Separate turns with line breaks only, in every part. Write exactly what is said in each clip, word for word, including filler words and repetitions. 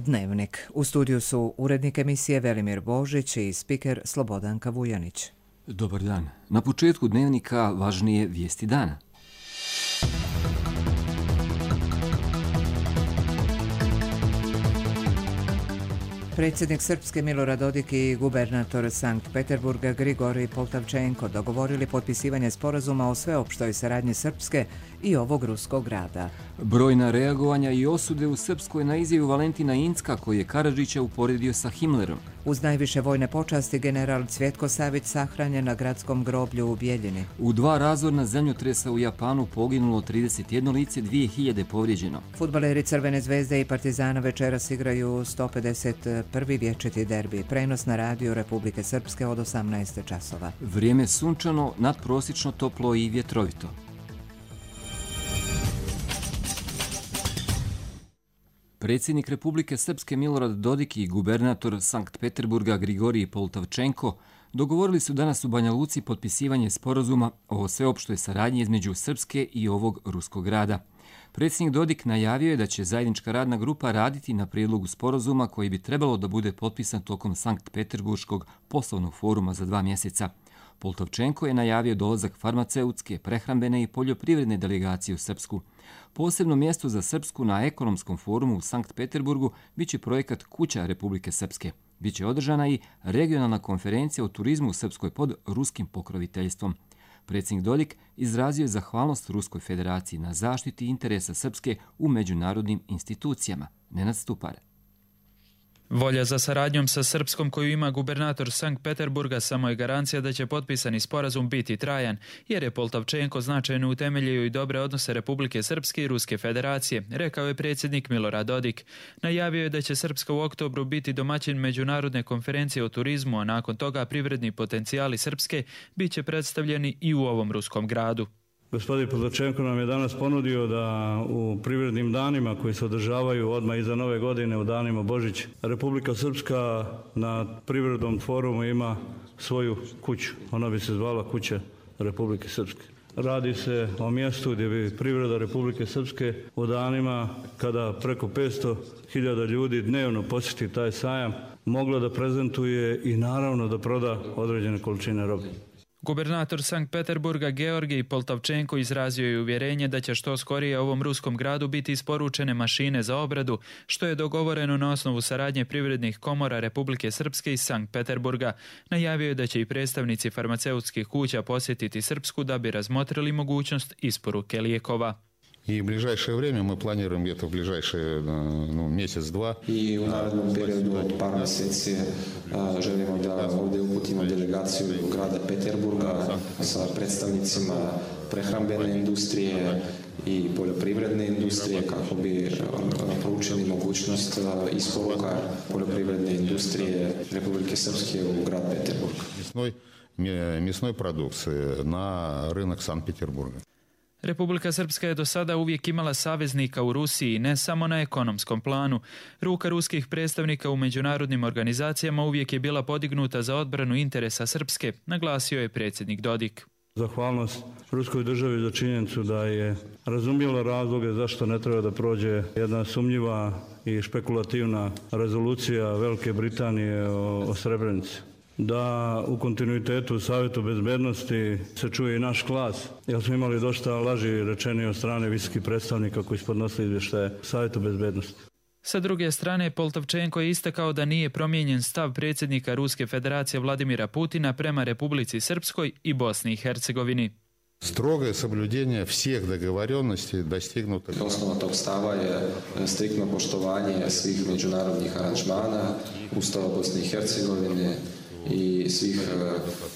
Dnevnik. U studiju su urednik emisije Velimir Božić i spiker Slobodanka Vujanić.
Dobar dan. Na početku Dnevnika važnije vijesti dana.
Predsjednik Srpske Milorad Dodik i gubernator Sankt Peterburga Grigorij Poltavčenko dogovorili potpisivanje sporazuma o sveopštoj saradnji Srpske i ovog ruskog grada.
Brojna reagovanja i osude u Srpskoj na izjavu Valentina Incka koji je Karadžića uporedio sa Himmlerom.
Uz najviše vojne počasti general Cvjetko Savić sahranjen na gradskom groblju u Bijeljini.
U dva razorna zemljotresa u Japanu poginulo trideset jedno lice, dvije hiljade povrijeđeno.
Fudbaleri Crvene zvezde i Partizana večeras igraju sto pedeset prvi vječiti derbi. Prenos na radiju Republike Srpske od osamnaest časova.
Vrijeme sunčano, nadprosječno toplo i vjetrovito. Predsjednik Republike Srpske Milorad Dodik i gubernator Sankt Peterburga Grigorij Poltavčenko dogovorili su danas u Banja Luci potpisivanje sporazuma o sveopštoj saradnji između Srpske i ovog ruskog grada. Predsjednik Dodik najavio je da će zajednička radna grupa raditi na prijedlogu sporazuma koji bi trebalo da bude potpisan tokom Sankt Peterburškog poslovnog foruma za dva mjeseca. Poltavčenko je najavio dolazak farmaceutske, prehrambene i poljoprivredne delegacije u Srpsku. Posebno mjesto za Srpsku na ekonomskom forumu u Sankt Peterburgu biće projekat Kuća Republike Srpske. Biće održana i regionalna konferencija o turizmu u Srpskoj pod ruskim pokroviteljstvom. Predsjednik Dodik izrazio je zahvalnost Ruskoj federaciji na zaštiti interesa Srpske u međunarodnim institucijama. Nenad Stupar.
Volja za saradnjom sa Srpskom koju ima gubernator Sankt Peterburga samo je garancija da će potpisani sporazum biti trajan, jer je Poltavčenko značajno utemeljio i dobre odnose Republike Srpske i Ruske federacije, rekao je predsjednik Milorad Dodik. Najavio je da će Srpska u oktobru biti domaćin međunarodne konferencije o turizmu, a nakon toga privredni potencijali Srpske bit će predstavljeni i u ovom ruskom gradu.
Gospodin Poltavčenko nam je danas ponudio da u privrednim danima koji se održavaju odmah iza nove godine u danima Božić, Republika Srpska na privrednom forumu ima svoju kuću. Ona bi se zvala Kuća Republike Srpske. Radi se o mjestu gdje bi privreda Republike Srpske u danima kada preko petsto hiljada ljudi dnevno posjeti taj sajam mogla da prezentuje i naravno da proda određene količine robe.
Gubernator Sankt Peterburga Georgij Poltavčenko izrazio je uvjerenje da će što skorije ovom ruskom gradu biti isporučene mašine za obradu, što je dogovoreno na osnovu saradnje privrednih komora Republike Srpske i Sankt Peterburga. Najavio je da će i predstavnici farmaceutskih kuća posjetiti Srpsku da bi razmotrili mogućnost isporuke lijekova.
И в ближайшее время мы планируем где-то в ближайшие ну, месяц-два.
I u narednom periodu od par mjeseci želimo da ovdje uputimo delegaciju grada Peterburga sa predstavnicima prehrambene industrije i poljoprivredne industrije kako bi proučili mogućnost isporuka poljoprivredne industrije Republike Srpske u grad Peterburg.
Мясной, мясной продукции на рынок Санкт-Петербурга.
Republika Srpska je do sada uvijek imala saveznika u Rusiji, ne samo na ekonomskom planu. Ruka ruskih predstavnika u međunarodnim organizacijama uvijek je bila podignuta za odbranu interesa Srpske, naglasio je predsjednik Dodik.
Zahvalnost ruskoj državi za činjenicu da je razumjela razloge zašto ne treba da prođe jedna sumnjiva i špekulativna rezolucija Velike Britanije o, o Srebrenici. Da u kontinuitetu u Savjetu bezbednosti se čuje i naš glas, jer smo imali dosta laži rečeni od strane visokih predstavnika koji su podnosili izvještaje Savjetu bezbednosti.
Sa druge strane, Poltavčenko je istakao da nije promijenjen stav predsjednika Ruske federacije Vladimira Putina prema Republici Srpskoj i Bosni i Hercegovini.
Строгое соблюдение всех договоренностей достигнутых.
Osnova tog stava je striktno poštovanje svih međunarodnih aranžmana, Ustava Bosne i Hercegovine i svih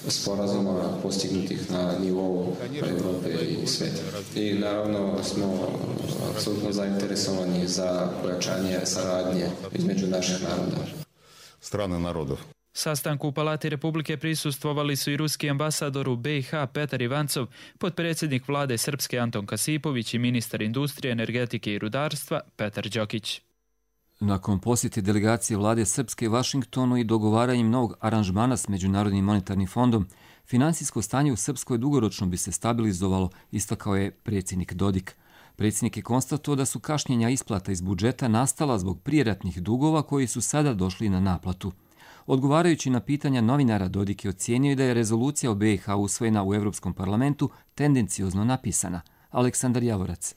sporazuma postignutih na nivou Europe i svijeta. I naravno smo apsolutno zainteresovani za pojačanje saradnje između naših naroda.
Strane narodov.
Sastanku u Palati Republike prisustvovali su i ruski ambasador u B i H Petar Ivancov, potpredsjednik vlade Srpske Anton Kasipović i ministar industrije, energetike i rudarstva Petar Đokić.
Nakon posjete delegacije vlade Srpske Vašingtonu i dogovaranjem novog aranžmana s Međunarodnim monetarnim fondom, finansijsko stanje u Srpskoj dugoročno bi se stabilizovalo, istakao je predsjednik Dodik. Predsjednik je konstatovao da su kašnjenja isplata iz budžeta nastala zbog prijeratnih dugova koji su sada došli na naplatu. Odgovarajući na pitanja novinara, Dodik je ocijenio da je rezolucija o B i H usvojena u Europskom parlamentu tendenciozno napisana. Aleksandar Javorac.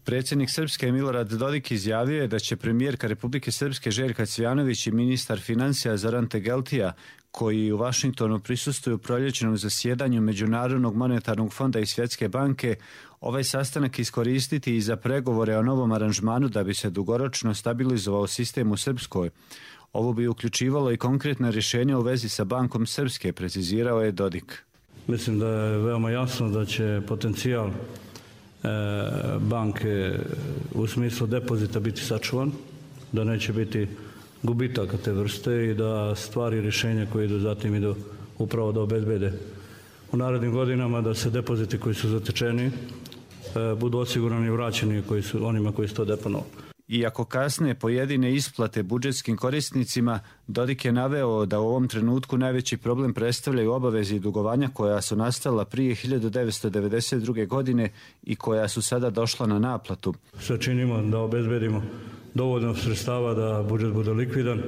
Predsjednik Srpske Milorad Dodik izjavio je da će premijerka Republike Srpske Željka Cvijanović i ministar financija Zoran Tegeltija, koji u Vašingtonu prisustvuju proljećnom zasjedanju Međunarodnog monetarnog fonda i Svjetske banke, ovaj sastanak iskoristiti i za pregovore o novom aranžmanu da bi se dugoročno stabilizovao sistem u Srpskoj. Ovo bi uključivalo i konkretne rješenja u vezi sa Bankom Srpske, precizirao je Dodik.
Mislim da je veoma jasno da će potencijal banke u smislu depozita biti sačuvan, da neće biti gubitaka te vrste i da stvari i rješenja koje idu zatim idu upravo da obezbede u narednim godinama da se depoziti koji su zatečeni budu osigurani i vraćeni koji su, onima koji su to deponovali.
Iako kasne pojedine isplate budžetskim korisnicima, Dodik je naveo da u ovom trenutku najveći problem predstavljaju obaveze i dugovanja koja su nastala prije hiljadu devetsto devedeset druge. godine i koja su sada došla na naplatu.
Sve činimo da obezbedimo dovoljno sredstava da budžet bude likvidan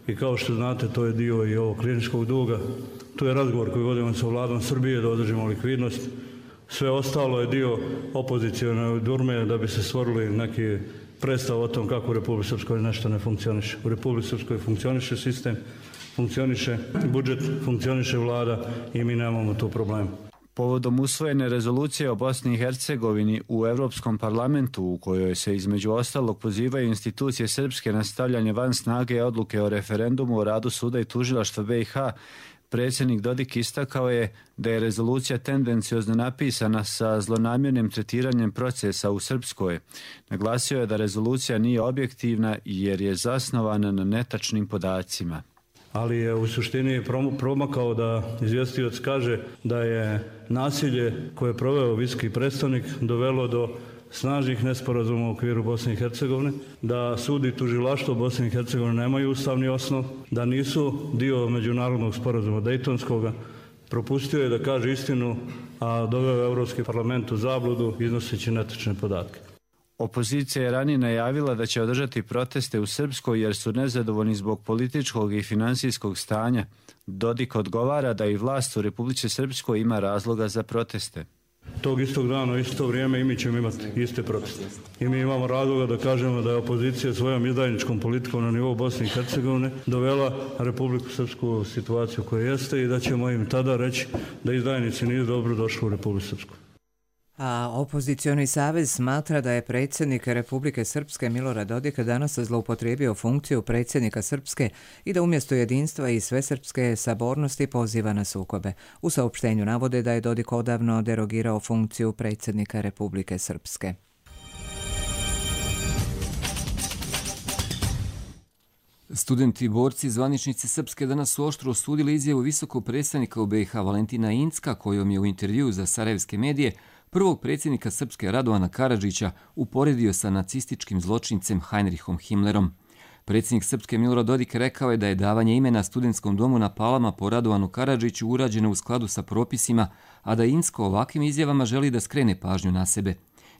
i kao što znate to je dio i ovog kliničkog duga. Tu je razgovor koji vodimo sa vladom Srbije da održimo likvidnost. Sve ostalo je dio opozicione durme da bi se stvorili neki predstav o tom kako u Republici Srpskoj nešto ne funkcioniše. U Republici Srpskoj funkcioniše sistem, funkcioniše budžet, funkcioniše vlada i mi nemamo tu problema.
Povodom usvojene rezolucije o Bosni i Hercegovini u Europskom parlamentu, u kojoj se između ostalog pozivaju institucije srpske na stavljanje van snage odluke o referendumu o radu suda i tužilaštva B i H, predsjednik Dodik istakao je da je rezolucija tendenciozno napisana sa zlonamjernim tretiranjem procesa u Srpskoj. Naglasio je da rezolucija nije objektivna jer je zasnovana na netačnim podacima.
Ali je u suštini promakao da izvjestioc kaže da je nasilje koje je proveo visoki predstavnik dovelo do snažnih nesporazuma u okviru Bosne i Hercegovine, da sud i tužilaštvo Bosne i Hercegovine nemaju ustavni osnov, da nisu dio međunarodnog sporazuma Dejtonskoga. Propustio je da kaže istinu, a doveo je Europski parlament u zabludu iznoseći netačne podatke.
Opozicija je ranije najavila da će održati proteste u Srpskoj jer su nezadovoljni zbog političkog i finansijskog stanja. Dodik odgovara da i vlast u Republici Srpskoj ima razloga za proteste.
Tog istog dana, isto vrijeme i mi ćemo imati iste proteste. I mi imamo razloga da kažemo da je opozicija svojom izdajničkom politikom na nivou Bosne i Hercegovine dovela Republiku Srpsku u situaciju koja jeste i da ćemo im tada reći da izdajnici nisu dobro došli u Republiku Srpsku.
A opozicioni savez smatra da je predsjednik Republike Srpske Milorad Dodik danas zloupotrijebio funkciju predsjednika Srpske i da umjesto jedinstva i svesrpske sabornosti poziva na sukobe. U saopštenju navode da je Dodik odavno derogirao funkciju predsjednika Republike Srpske.
Studenti i borci zvaničnici Srpske danas su oštro osudili izjavu visokog predstavnika u B i H Valentina Incka, kojom je u intervjuu za sarajevske medije prvog predsjednika Srpske Radovana Karadžića uporedio sa nacističkim zločincem Heinrichom Himmlerom. Predsjednik Srpske Milorad Dodik rekao je da je davanje imena studentskom domu na Palama po Radovanu Karadžiću urađeno u skladu sa propisima, a da Incko ovakvim izjavama želi da skrene pažnju na sebe.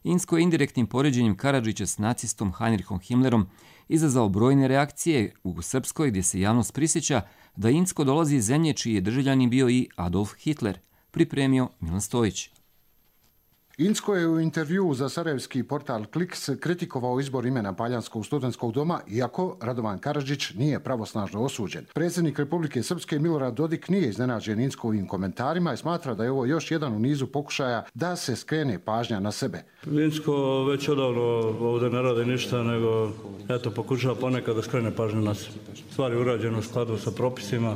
Incko je indirektnim poređenjem Karadžića s nacistom Heinrichom Himmlerom izazvao brojne reakcije u Srpskoj, gdje se javnost prisjeća da Incko dolazi iz zemlje čiji je državljanin bio i Adolf Hitler, pripremio Milan Stojić.
Incko je u intervjuu za sarajevski portal Kliks kritikovao izbor imena Paljanskog studentskog doma, iako Radovan Karadžić nije pravosnažno osuđen. Predsjednik Republike Srpske Milorad Dodik nije iznenađen Inckovim komentarima i smatra da je ovo još jedan u nizu pokušaja da se skrene pažnja na sebe.
Incko već odavno ovdje ne radi ništa, nego eto, pokušava ponekad da skrene pažnju na sebe. Stvari urađeno u skladu sa propisima.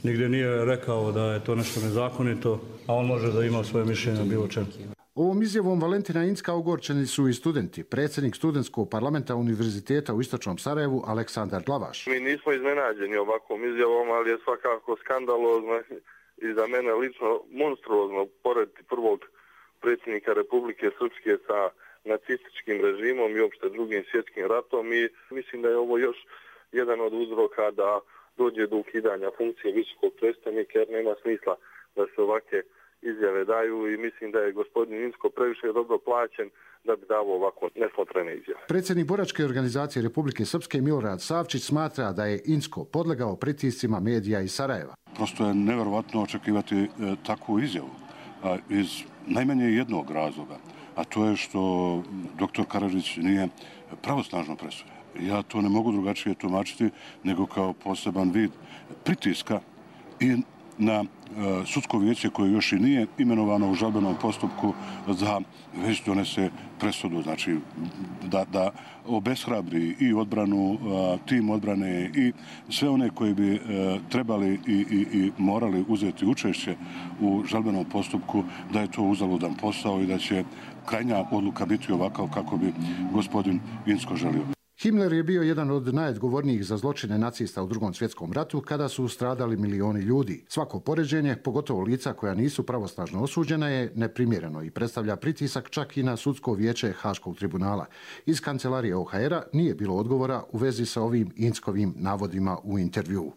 Nigdje nije rekao da je to nešto nezakonito, a on može da ima svoje mišljenje o bilo čemu.
Ovom izjavom Valentina Incka ogorčeni su i studenti. Predsjednik studentskog parlamenta Univerziteta u Istočnom Sarajevu Aleksandar Glavaš.
Mi nismo iznenađeni ovakvom izjavom, ali je svakako skandalozno i za mene lično monstruozno porediti prvog predsjednika Republike Srpske sa nacističkim režimom i uopšte drugim svjetskim ratom i mislim da je ovo još jedan od uzroka da dođe do ukidanja funkcije visokog predstavnika jer nema smisla da se ovakve izjave daju i mislim da je gospodin Incko previše dobro plaćen da bi davo ovako nesmotrene izjave.
Predsjednik boračke organizacije Republike Srpske Milorad Savčić smatra da je Incko podlegao pritiscima medija iz Sarajeva.
Prosto je nevjerovatno očekivati e, takvu izjavu a, iz najmanje jednog razloga, a to je što doktor Karadžić nije pravosnažno presuđen. Ja to ne mogu drugačije tumačiti nego kao poseban vid pritiska i na e, sudsko vijeće koje još i nije imenovano u žalbenom postupku da već donese presudu, znači da, da obeshrabri i odbranu, e, tim odbrane i sve one koji bi e, trebali i, i, i morali uzeti učešće u žalbenom postupku, da je to uzaludan posao i da će krajnja odluka biti ovakav kako bi gospodin Incko želio.
Himmler je bio jedan od najodgovornijih za zločine nacista u Drugom svjetskom ratu kada su stradali milioni ljudi. Svako poređenje, pogotovo lica koja nisu pravosnažno osuđena, je neprimjereno i predstavlja pritisak čak i na sudsko vijeće Haškog tribunala. Iz kancelarije O H R-a nije bilo odgovora u vezi sa ovim Inckovim navodima u intervjuu.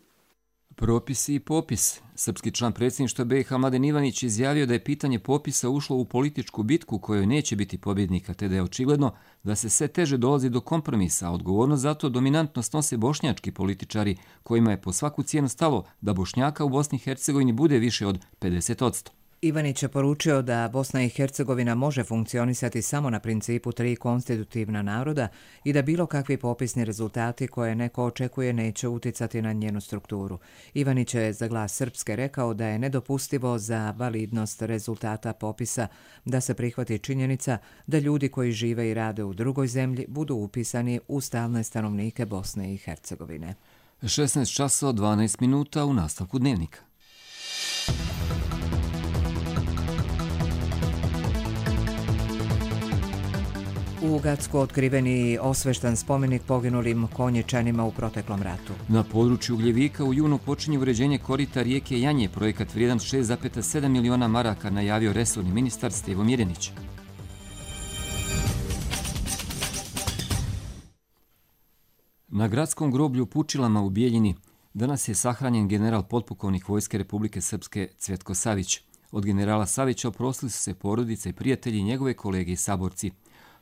Propisi i popis. Srpski član predsjedništva B i H Mladen Ivanić izjavio da je pitanje popisa ušlo u političku bitku kojoj neće biti pobjednika, te da je očigledno da se sve teže dolazi do kompromisa, a odgovornost za to dominantno snose bošnjački političari, kojima je po svaku cijenu stalo da Bošnjaka u Bosni i Hercegovini bude više od pedeset posto.
Ivanić je poručio da Bosna i Hercegovina može funkcionisati samo na principu tri konstitutivna naroda i da bilo kakvi popisni rezultati koje neko očekuje neće uticati na njenu strukturu. Ivanić je za Glas Srpske rekao da je nedopustivo za validnost rezultata popisa da se prihvati činjenica da ljudi koji žive i rade u drugoj zemlji budu upisani u stalne stanovnike Bosne i Hercegovine.
šesnaest časova dvanaest minuta u nastavku dnevnika.
U Gacku otkriveni osveštan spomenik poginulim konjičanima u proteklom ratu.
Na području Ugljevika u junu počinje uređenje korita rijeke Janje, projekat vrijedan šest zarez sedam miliona maraka, najavio resorni ministar Stevo Mirjanić. Na gradskom groblju u Pučilama u Bijeljini danas je sahranjen general potpukovnik Vojske Republike Srpske Cvjetko Savić. Od generala Savića oprostili su se porodice i prijatelji i njegove kolege i saborci.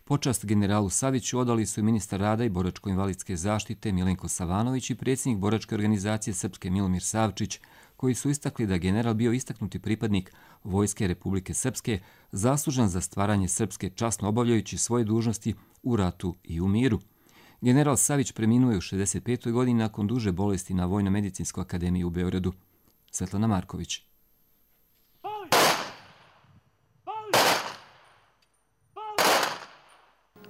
Počast generalu Saviću odali su i ministar rada i boračko-invalidske zaštite Milenko Savanović i predsjednik boračke organizacije Srpske Milomir Savčić, koji su istakli da general bio istaknuti pripadnik Vojske Republike Srpske, zaslužan za stvaranje Srpske časno obavljajući svoje dužnosti u ratu i u miru. General Savić preminuo je u šezdeset petoj godini nakon duže bolesti na Vojno-medicinskoj akademiji u Beogradu. Svetlana Marković.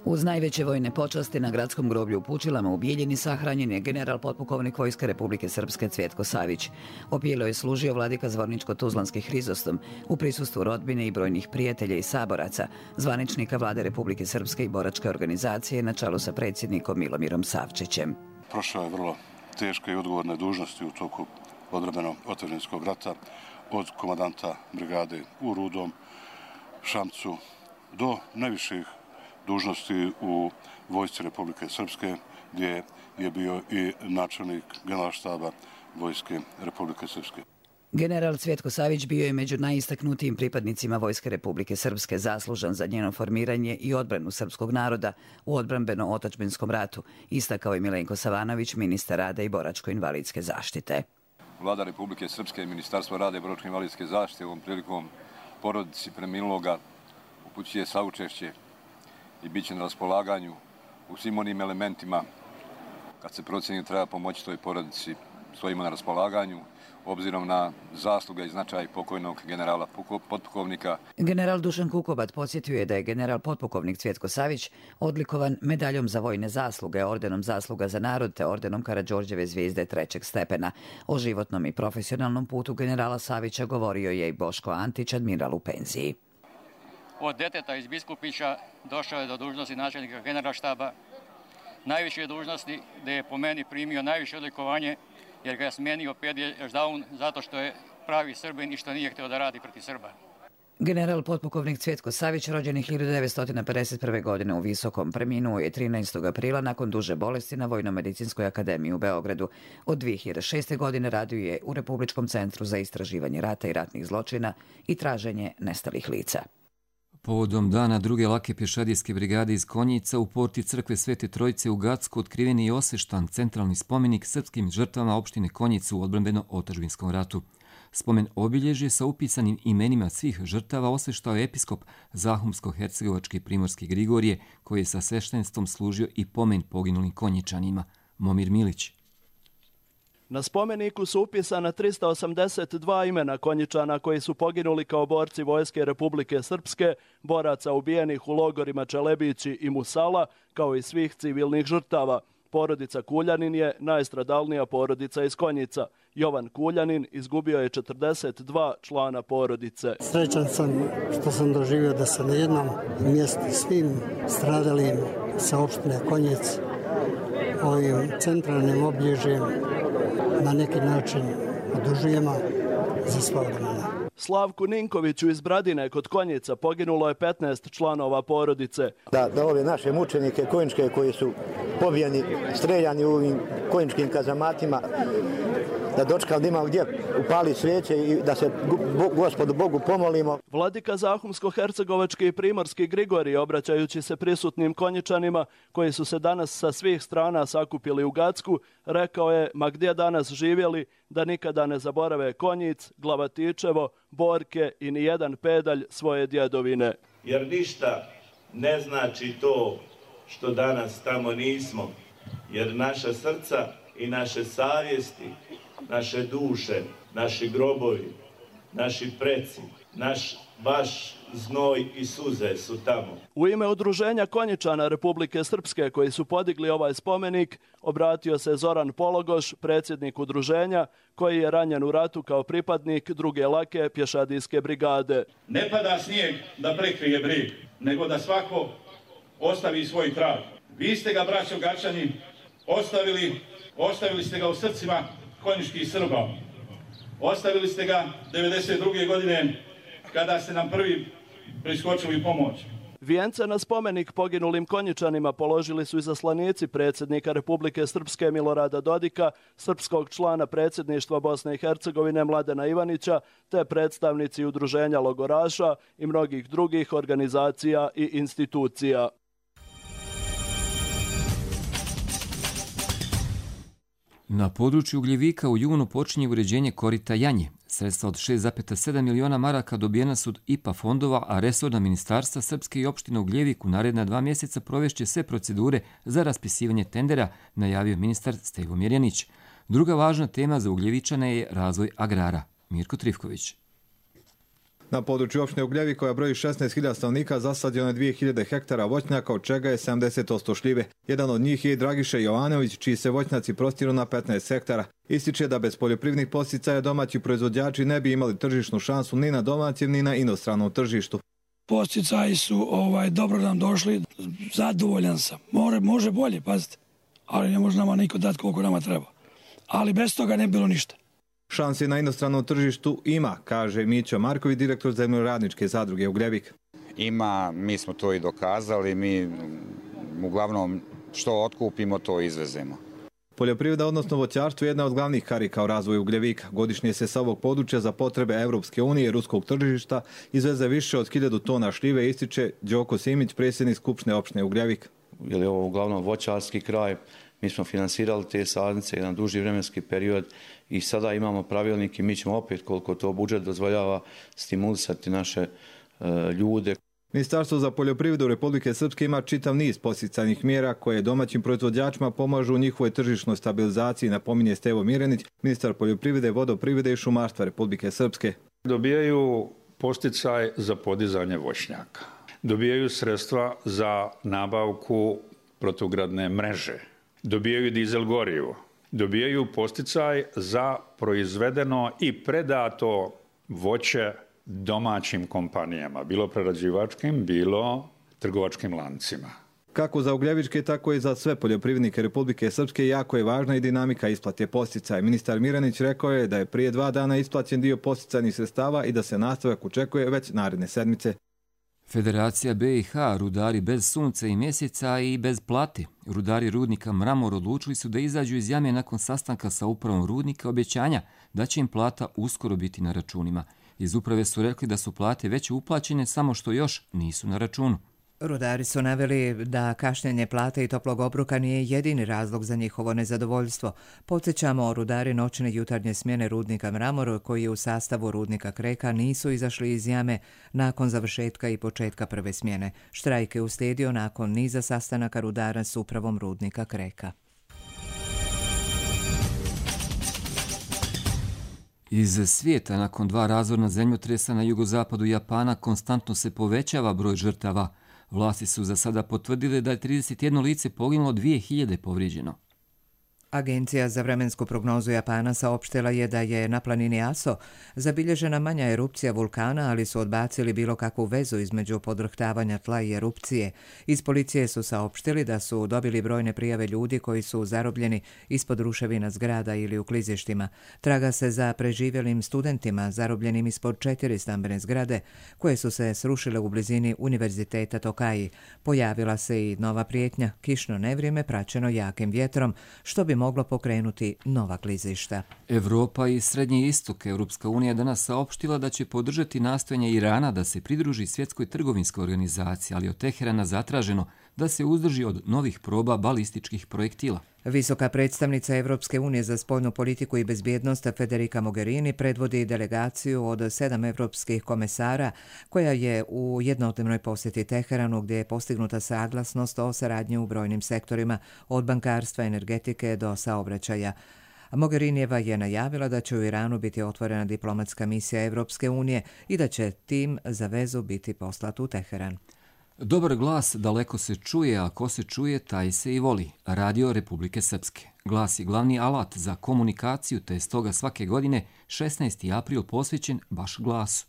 Uz najveće vojne počasti na gradskom groblju u Pučilama u Bijeljini sahranjen je general potpukovnik Vojske Republike Srpske Cvjetko Savić. Opijelo je služio vladika Zvorničko-Tuzlanski Hrizostom u prisustvu rodbine i brojnih prijatelja i saboraca, zvaničnika vlade Republike Srpske i boračke organizacije na čelu sa predsjednikom Milomirom Savčićem.
Prošao je vrlo teške i odgovorne dužnosti u toku odbrambeno-otadžbinskog rata, od komandanta brigade u Rudom, Šamcu do najviših dužnosti u Vojsci Republike Srpske, gdje je bio i načelnik generalštaba Vojske Republike Srpske.
General Cvjetko Savić bio je među najistaknutijim pripadnicima Vojske Republike Srpske, zaslužan za njeno formiranje i odbranu srpskog naroda u odbrambeno-otadžbinskom ratu, istakao je Milenko Savanović, ministar rada i boračko-invalidske zaštite.
Vlada Republike Srpske i Ministarstvo rada i boračko-invalidske zaštite ovom prilikom porodici preminuloga upućuje saučešće i bit će na raspolaganju u svim onim elementima kad se procjeni treba pomoći toj porodici, stojimo na raspolaganju obzirom na zasluge i značaj pokojnog generala potpukovnika.
General Dušan Kukobat podsjetio je da je general potpukovnik Cvjetko Savić odlikovan medaljom za vojne zasluge, ordenom zasluga za narod te ordenom Karađorđeve zvijezde trećeg stepena. O životnom i profesionalnom putu generala Savića govorio je i Boško Antić, admiral u penziji.
Od deteta iz Biskupića došao je do dužnosti načelnika generalštaba, najviše dužnosti gdje je po meni primio najviše odlikovanje jer ga je smenio Pedje Ždaun zato što je pravi Srbin i što nije htio da radi protiv Srba.
General potpukovnik Cvjetko Savić, rođen hiljadu devetsto pedeset prve. godine u Visokom, preminuo je trinaestog aprila nakon duže bolesti na Vojno-medicinskoj akademiji u Beogradu. Od dvije hiljade šeste. godine radio je u Republičkom centru za istraživanje rata i ratnih zločina i traženje nestalih lica.
Povodom dana druge lake pješadijske brigade iz Konjica u porti crkve Svete Trojice u Gacku otkriven je i osveštan centralni spomenik srpskim žrtvama opštine Konjica u odbrambeno-otadžbinskom ratu. Spomen obilježje sa upisanim imenima svih žrtava osveštao je episkop Zahumsko-hercegovački primorski Grigorije, koji je sa sveštenstvom služio i pomen poginulim Konjičanima. Momir Milić.
Na spomeniku su upisana trista osamdeset dva imena Konjičana koji su poginuli kao borci Vojske Republike Srpske, boraca ubijenih u logorima Čelebići i Musala, kao i svih civilnih žrtava. Porodica Kuljanin je najstradalnija porodica iz Konjica. Jovan Kuljanin izgubio je četrdeset dva člana porodice.
Srećan sam što sam doživio da se na jednom mjestu svim stradalim sa opštine Konjic ovim centralnim obilježjem na neki način odužujemo za sva vremena.
Slavku Ninkoviću iz Bradine kod Konjica poginulo je petnaest članova porodice.
Da, da ove naše mučenike konjičke koji su pobijeni, streljani u ovim konjičkim kazamatima, da dočekali da imamo gdje upali svijeće i da se Gospodu Bogu pomolimo.
Vladika Zahumsko-hercegovački i primorski Grigorije, obraćajući se prisutnim Konjičanima koji su se danas sa svih strana sakupili u Gacku, rekao je, ma gdje danas živjeli, da nikada ne zaborave Konjic, Glavatičevo, Borke i ni jedan pedalj svoje djedovine.
Jer ništa ne znači to što danas tamo nismo, jer naša srca i naše savjesti, naše duše, naši grobovi, naši preci, naš baš znoj i suze su tamo.
U ime Udruženja Konjičana Republike Srpske koji su podigli ovaj spomenik, obratio se Zoran Pologoš, predsjednik udruženja, koji je ranjen u ratu kao pripadnik druge lake pješadijske brigade.
Ne pada snijeg da prekrije brijeg, nego da svako ostavi svoj trag. Vi ste ga, braćo Gačani, ostavili, ostavili ste ga u srcima konjičkih Srba. Ostavili ste ga devedeset druge. godine kada ste nam prvi priskočili pomoć.
Vijence na spomenik poginulim Konjičanima položili su izaslanici predsjednika Republike Srpske Milorada Dodika, srpskog člana predsjedništva Bosne i Hercegovine Mladena Ivanića, te predstavnici udruženja logoraša i mnogih drugih organizacija i institucija.
Na području Ugljevika u junu počinje uređenje korita Janje. Sredstva od šest zarez sedam miliona maraka dobijena su od I P A fondova, a resorna ministarstva Srpske i opština Ugljevik u naredna dva mjeseca provešće sve procedure za raspisivanje tendera, najavio ministar Stevo Mirjanić. Druga važna tema za Ugljevičane je razvoj agrara. Mirko Trifković.
Na području opštine Ugljevik, koja broji šesnaest hiljada stanovnika, zasađeno je dvije hiljade hektara voćnjaka, od čega je sedamdeset posto šljive. Jedan od njih je i Dragiše Jovanović, čiji se voćnjaci prostiru na petnaest hektara. Ističe da bez poljoprivrednih podsticaja domaći proizvođači ne bi imali tržišnu šansu ni na domaćem ni na inostranom tržištu.
Podsticaji su ovaj, dobro nam došli, zadovoljan sam. More, može bolje, pazite, ali ne može nama niko dati koliko nama treba. Ali bez toga ne bilo ništa.
Šanse na inostranom tržištu ima, kaže Mićo Marković, direktor zemljoradničke zadruge Ugljevik.
Ima, mi smo to i dokazali, mi uglavnom što otkupimo, to izvezemo.
Poljoprivreda, odnosno voćarstvo, je jedna od glavnih karika u razvoju Ugljevika. Godišnje se sa ovog područja za potrebe Evropske unije i ruskog tržišta izveze više od hiljadu tona šljive, ističe Đoko Simić, predsjednik Skupštine opštine Ugljevik.
Jer je ovo uglavnom voćarski kraj, mi smo finansirali te sadnice jedan duži vremenski period i sada imamo pravilnik i mi ćemo opet, koliko to budžet dozvoljava, stimulisati naše e, ljude.
Ministarstvo za poljoprivredu Republike Srpske ima čitav niz podsticajnih mjera koje domaćim proizvođačima pomažu u njihovoj tržišnoj stabilizaciji, napominje Stevo Mirjanić, ministar poljoprivrede, vodoprivrede i šumarstva Republike Srpske.
Dobijaju podsticaj za podizanje voćnjaka. Dobijaju sredstva za nabavku protugradne mreže. Dobijaju dizel gorivo. Dobijaju podsticaj za proizvedeno i predato voće domaćim kompanijama, bilo prerađivačkim, bilo trgovačkim lancima.
Kako za Ugljevičke, tako i za sve poljoprivrednike Republike Srpske jako je važna i dinamika isplate podsticaja. Ministar Miranić rekao je da je prije dva dana isplaćen dio podsticajnih sredstava i da se nastavak očekuje već naredne sedmice.
Federacija B i H, rudari bez sunca i mjeseca i bez plate. Rudari rudnika Mramor odlučili su da izađu iz jame nakon sastanka sa upravom rudnika obećanja da će im plata uskoro biti na računima. Iz uprave su rekli da su plate već uplaćene, samo što još nisu na računu.
Rudari su naveli da kašnjenje plate i toplog obroka nije jedini razlog za njihovo nezadovoljstvo. Podsjećamo, rudari noćne jutarnje smjene rudnika Mramor, koji u sastavu rudnika Kreka nisu izašli iz jame nakon završetka i početka prve smjene. Štrajk je uslijedio nakon niza sastanaka rudara s upravom rudnika Kreka.
Iz svijeta, nakon dva razorna zemljotresa na jugozapadu Japana, konstantno se povećava broj žrtava. Vlasti su za sada potvrdile da je trideset jedno lice poginulo, dvije hiljade povrijeđeno.
Agencija za vremensku prognozu Japana saopštila je da je na planini Aso zabilježena manja erupcija vulkana, ali su odbacili bilo kakvu vezu između podrhtavanja tla i erupcije. Iz policije su saopštili da su dobili brojne prijave ljudi koji su zarobljeni ispod ruševina zgrada ili u klizištima. Traga se za preživjelim studentima zarobljenim ispod četiri stambene zgrade koje su se srušile u blizini Univerziteta Tokai. Pojavila se i nova prijetnja, kišno nevrijeme praćeno jakim vjetrom, što bi moglo pokrenuti nova klizišta.
Evropa i Srednji istok. Europska unija danas saopštila da će podržati nastojanje Irana da se pridruži svjetskoj trgovinskoj organizaciji, ali od Teherana zatraženo da se uzdrži od novih proba balističkih projektila.
Visoka predstavnica Evropske unije za spoljnu politiku i bezbjednost Federica Mogherini predvodi delegaciju od sedam evropskih komesara koja je u jednodnevnoj posjeti Teheranu, gdje je postignuta saglasnost o saradnji u brojnim sektorima, od bankarstva, energetike do saobraćaja. Mogherinijeva je najavila da će u Iranu biti otvorena diplomatska misija Evropske unije i da će tim za vezu biti poslat u Teheran.
Dobar glas daleko se čuje, a ko se čuje, taj se i voli. Radio Republike Srpske. Glas je glavni alat za komunikaciju, te je stoga svake godine šesnaesti april posvećen baš glasu.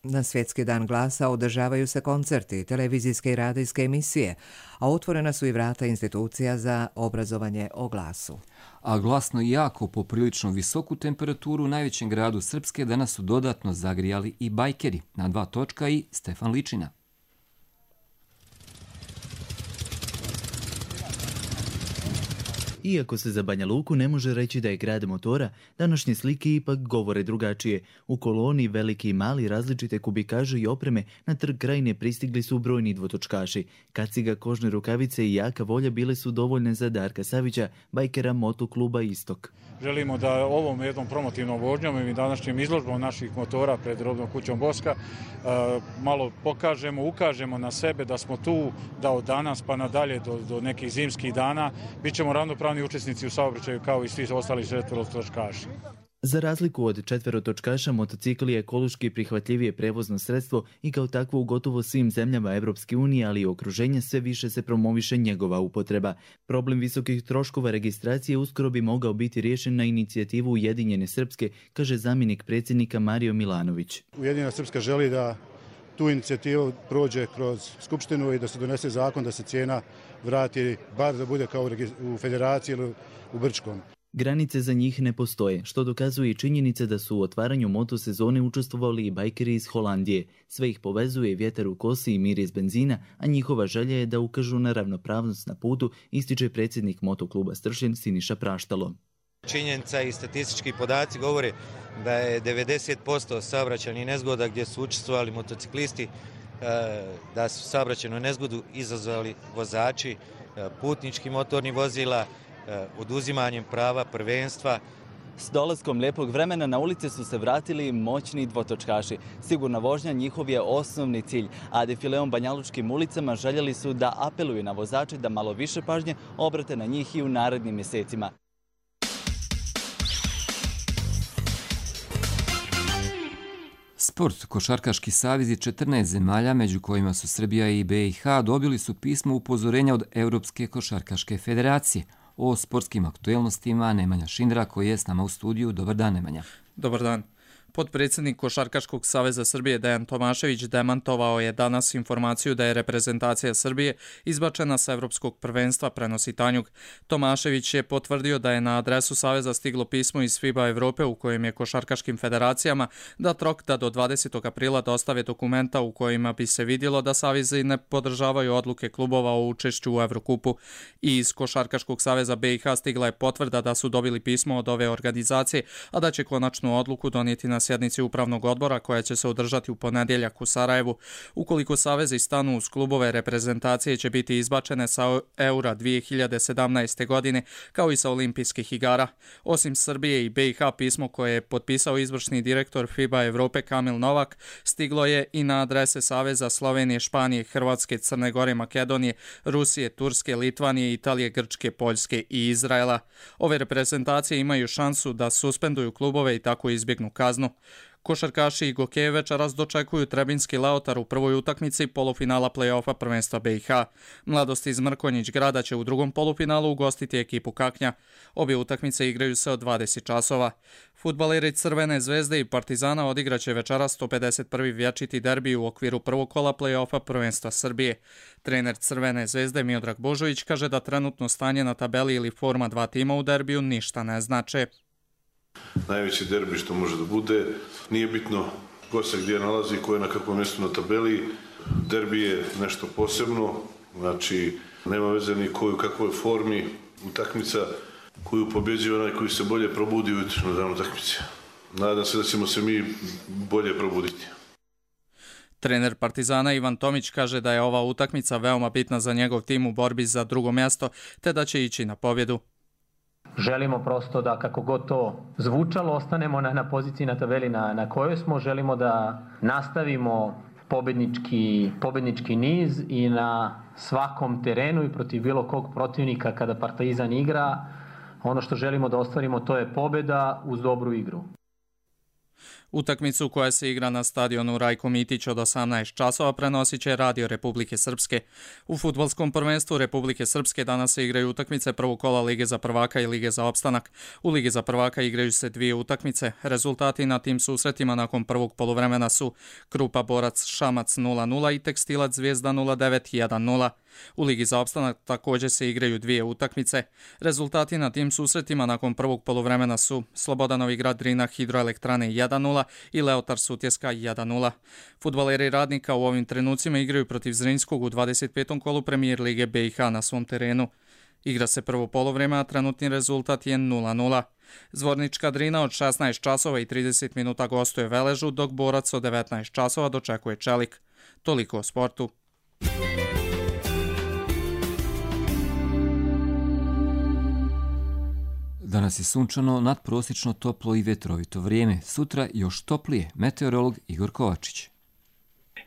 Na Svjetski dan glasa održavaju se koncerti, televizijske i radijske emisije, a otvorena su i vrata institucija za obrazovanje o glasu.
A glasno i jako poprilično visoku temperaturu u najvećem gradu Srpske danas su dodatno zagrijali i bajkeri. Na dva točka i Stefan Ličina.
Iako se za Banja Luku ne može reći da je grad motora, današnje slike ipak govore drugačije. U koloni veliki i mali različite kubikaže i opreme na trg Krajine pristigli su brojni dvotočkaši. Kaciga, kožne rukavice i jaka volja bile su dovoljne za Darka Savića, bajkera motokluba Istok.
Želimo da ovom jednom promotivnom vožnjom i današnjim izložbom naših motora pred robnom kućom Boska malo pokažemo, ukažemo na sebe da smo tu, da od danas pa nadalje do, do nekih zimskih dana bit ćemo ravnopravni učesnici u saobraćaju kao i svi ostali četverotočkaši.
Za razliku od četverotočkaša, motocikl je ekološki prihvatljivije prevozno sredstvo i kao takvo u gotovo svim zemljama Evropske unije, ali i okruženja sve više se promoviše njegova upotreba. Problem visokih troškova registracije uskoro bi mogao biti riješen na inicijativu Ujedinjene Srpske, kaže zamjenik predsjednika Mario Milanović.
Ujedinjena Srpska želi da tu inicijativu prođe kroz Skupštinu i da se donese zakon da se cijena vrati, bar da bude kao u Federaciji ili u Brčkom.
Granice za njih ne postoje, što dokazuje i činjenica da su u otvaranju motosezone učestvovali i bajkeri iz Holandije. Sve ih povezuje vjetar u kosi i miris benzina, a njihova želja je da ukažu na ravnopravnost na putu, ističe predsjednik motokluba Stršljen Siniša Praštalo.
Činjenica i statistički podaci govore da je devedeset posto saobraćajnih nezgoda gdje su učestvovali motociklisti, da su saobraćajnu nezgodu izazvali vozači putničkih motornih vozila, oduzimanjem prava prvenstva.
S dolaskom lijepog vremena na ulice su se vratili moćni dvotočkaši. Sigurna vožnja njihov je osnovni cilj, a defileom banjalučkim ulicama željeli su da apeluju na vozače da malo više pažnje obrate na njih i u narednim mjesecima.
Sport. Košarkaški savezi četrnaest zemalja, među kojima su Srbija i B i H, dobili su pismo upozorenja od Europske košarkaške federacije. O sportskim aktuelnostima Nemanja Šindra, koji je s nama u studiju. Dobar dan, Nemanja.
Dobar dan.
Potpredsjednik Košarkaškog saveza Srbije Dejan Tomašević demantovao je danas informaciju da je reprezentacija Srbije izbačena sa evropskog prvenstva, prenosi Tanjug. Tomašević je potvrdio da je na adresu saveza stiglo pismo iz FIBA Evrope u kojem je košarkaškim federacijama da Trokta do dvadesetog aprila dostave dokumenta u kojima bi se vidjelo da savezi ne podržavaju odluke klubova o učešću u Evrokupu. I iz Košarkaškog saveza B i H stigla je potvrda da su dobili pismo od ove organizacije, a da će konačnu odluku donijeti na sjednici upravnog odbora koja će se održati u ponedjeljak u Sarajevu. Ukoliko savezi stanu uz klubove, reprezentacije će biti izbačene sa Eura dvije hiljade sedamnaeste. godine kao i sa olimpijskih igara. Osim Srbije i B i H, pismo koje je potpisao izvršni direktor FIBA Evrope Kamil Novak stiglo je i na adrese saveza Slovenije, Španije, Hrvatske, Crne Gore, Makedonije, Rusije, Turske, Litvanije, Italije, Grčke, Poljske i Izraela. Ove reprezentacije imaju šansu da suspenduju klubove i tako izbjegnu kaznu. Košarkaši i Gokeje večeras dočekuju Trebinski Leotar u prvoj utakmici polufinala play-offa prvenstva B i H. Mladost iz Mrkonjić Grada će u drugom polufinalu ugostiti ekipu Kaknja. Obje utakmice igraju se od dvadeset časova. Fudbaleri Crvene zvezde i Partizana odigraće večeras sto pedeset prvi vječiti derbi u okviru prvog kola play-offa prvenstva Srbije. Trener Crvene zvezde Miodrag Božović kaže da trenutno stanje na tabeli ili forma dva tima u derbiju ništa ne znače.
Najveći derbi što može da bude, nije bitno ko se gdje nalazi, ko je na kakvom mjestu na tabeli. Derbi je nešto posebno, znači nema veze ni koju kakvoj formi, utakmica koju pobjeđuje onaj koji se bolje probudi ujutro na dan utakmice. Nadam se da ćemo se mi bolje probuditi.
Trener Partizana Ivan Tomić kaže da je ova utakmica veoma bitna za njegov tim u borbi za drugo mjesto, te da će ići na pobjedu.
Želimo prosto da, kako god to zvučalo, ostanemo na, na poziciji na tabeli na, na kojoj smo. Želimo da nastavimo pobednički, pobednički niz i na svakom terenu i protiv bilo kog protivnika kada Partizan igra. Ono što želimo da ostvarimo to je pobjeda uz dobru igru.
Utakmicu koja se igra na stadionu Rajko Mitić od osamnaest časova prenosit će Radio Republike Srpske. U fudbalskom prvenstvu Republike Srpske danas se igraju utakmice prvog kola Lige za prvaka i Lige za opstanak. U Ligi za prvaka igraju se dvije utakmice. Rezultati na tim susretima nakon prvog poluvremena su Krupa Borac Šamac nula nula i Tekstilac Zvijezda nula devet jedan nula. U Ligi za opstanak također se igraju dvije utakmice. Rezultati na tim susretima nakon prvog poluvremena su Slobodan Novigrad Drina Hidroelektrane jedan nula i Leotar Sutjeska jedan nula. Fudbaleri Radnika u ovim trenucima igraju protiv Zrinjskog u dvadeset petom kolu Premijer Lige B i H na svom terenu. Igra se prvo poluvreme, a trenutni rezultat je nula nula. Zvornička Drina od šesnaest časova i trideset minuta gostuje Veležu, dok Borac od devetnaest časova dočekuje Čelik. Toliko o sportu.
Danas je sunčano, nadprosječno toplo i vetrovito vrijeme. Sutra još toplije. Meteorolog Igor Kovačić.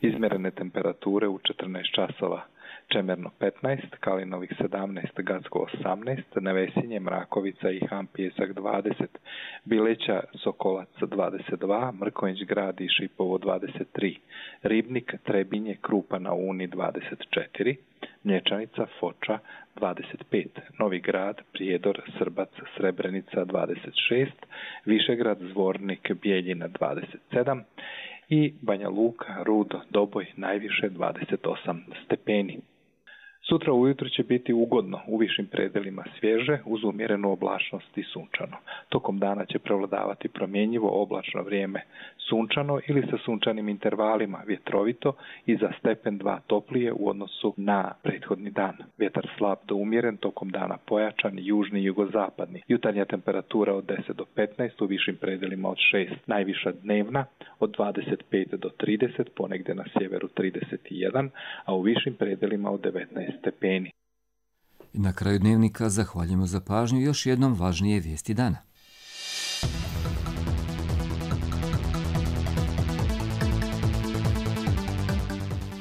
Izmjerene temperature u četrnaest časova. Čemerno petnaest, Kalinovih sedamnaest, Gacko osamnaest, Nevesinje, Mrakovica i Han Pjesak dvadeset, Bileća, Sokolac dvadeset dva, Mrkonjić Grad i Šipovo dvadeset tri, Ribnik, Trebinje, Krupa na Uni dvadeset četiri, Mlječanica, Foča dvadeset pet, Novi Grad, Prijedor, Srbac, Srebrenica dvadeset šest, Višegrad, Zvornik, Bijeljina dvadeset sedam i Banja Luka, Rud, Doboj najviše dvadeset osam stepeni. Sutra ujutro će biti ugodno, u višim predelima svježe, uz umjerenu oblačnost i sunčano. Tokom dana će prevladavati promjenjivo oblačno vrijeme, sunčano ili sa sunčanim intervalima, vjetrovito i za stepen dva toplije u odnosu na prethodni dan. Vjetar slab do umjeren, tokom dana pojačan, južni i jugozapadni. Jutarnja temperatura od deset do petnaest, u višim predelima od šest. Najviša dnevna od dvadeset pet do trideset, ponegdje na sjeveru trideset jedan, a u višim predelima od devetnaest stepeni.
I na kraju dnevnika zahvaljujemo za pažnju, još jednom važnije vijesti dana.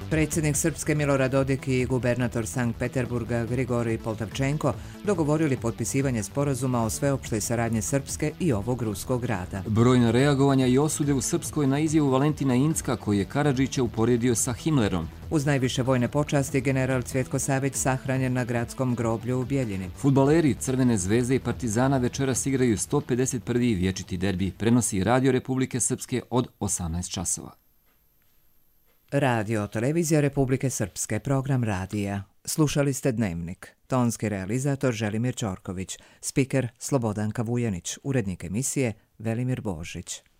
Predsjednik Srpske Milorad Dodik i gubernator Sankt Peterburga Grigorij Poltavčenko dogovorili potpisivanje sporazuma o sveopštoj saradnji Srpske i ovog ruskog grada.
Brojna reagovanja i osude u Srpskoj na izjavu Valentina Incka koji je Karadžića uporedio sa Himmlerom.
Uz najviše vojne počasti general Cvjetko Savić sahranjen na gradskom groblju u Bjeljini.
Fudbaleri Crvene zvezde i Partizana večeras igraju sto pedeset prvi vječiti derbi, prenosi Radio Republike Srpske od osamnaest časova.
Radio Televizija Republike Srpske, program radija. Slušali ste Dnevnik. Tonski realizator Želimir Ćorković, spiker Slobodanka Vujanić, urednik emisije Velimir Božić.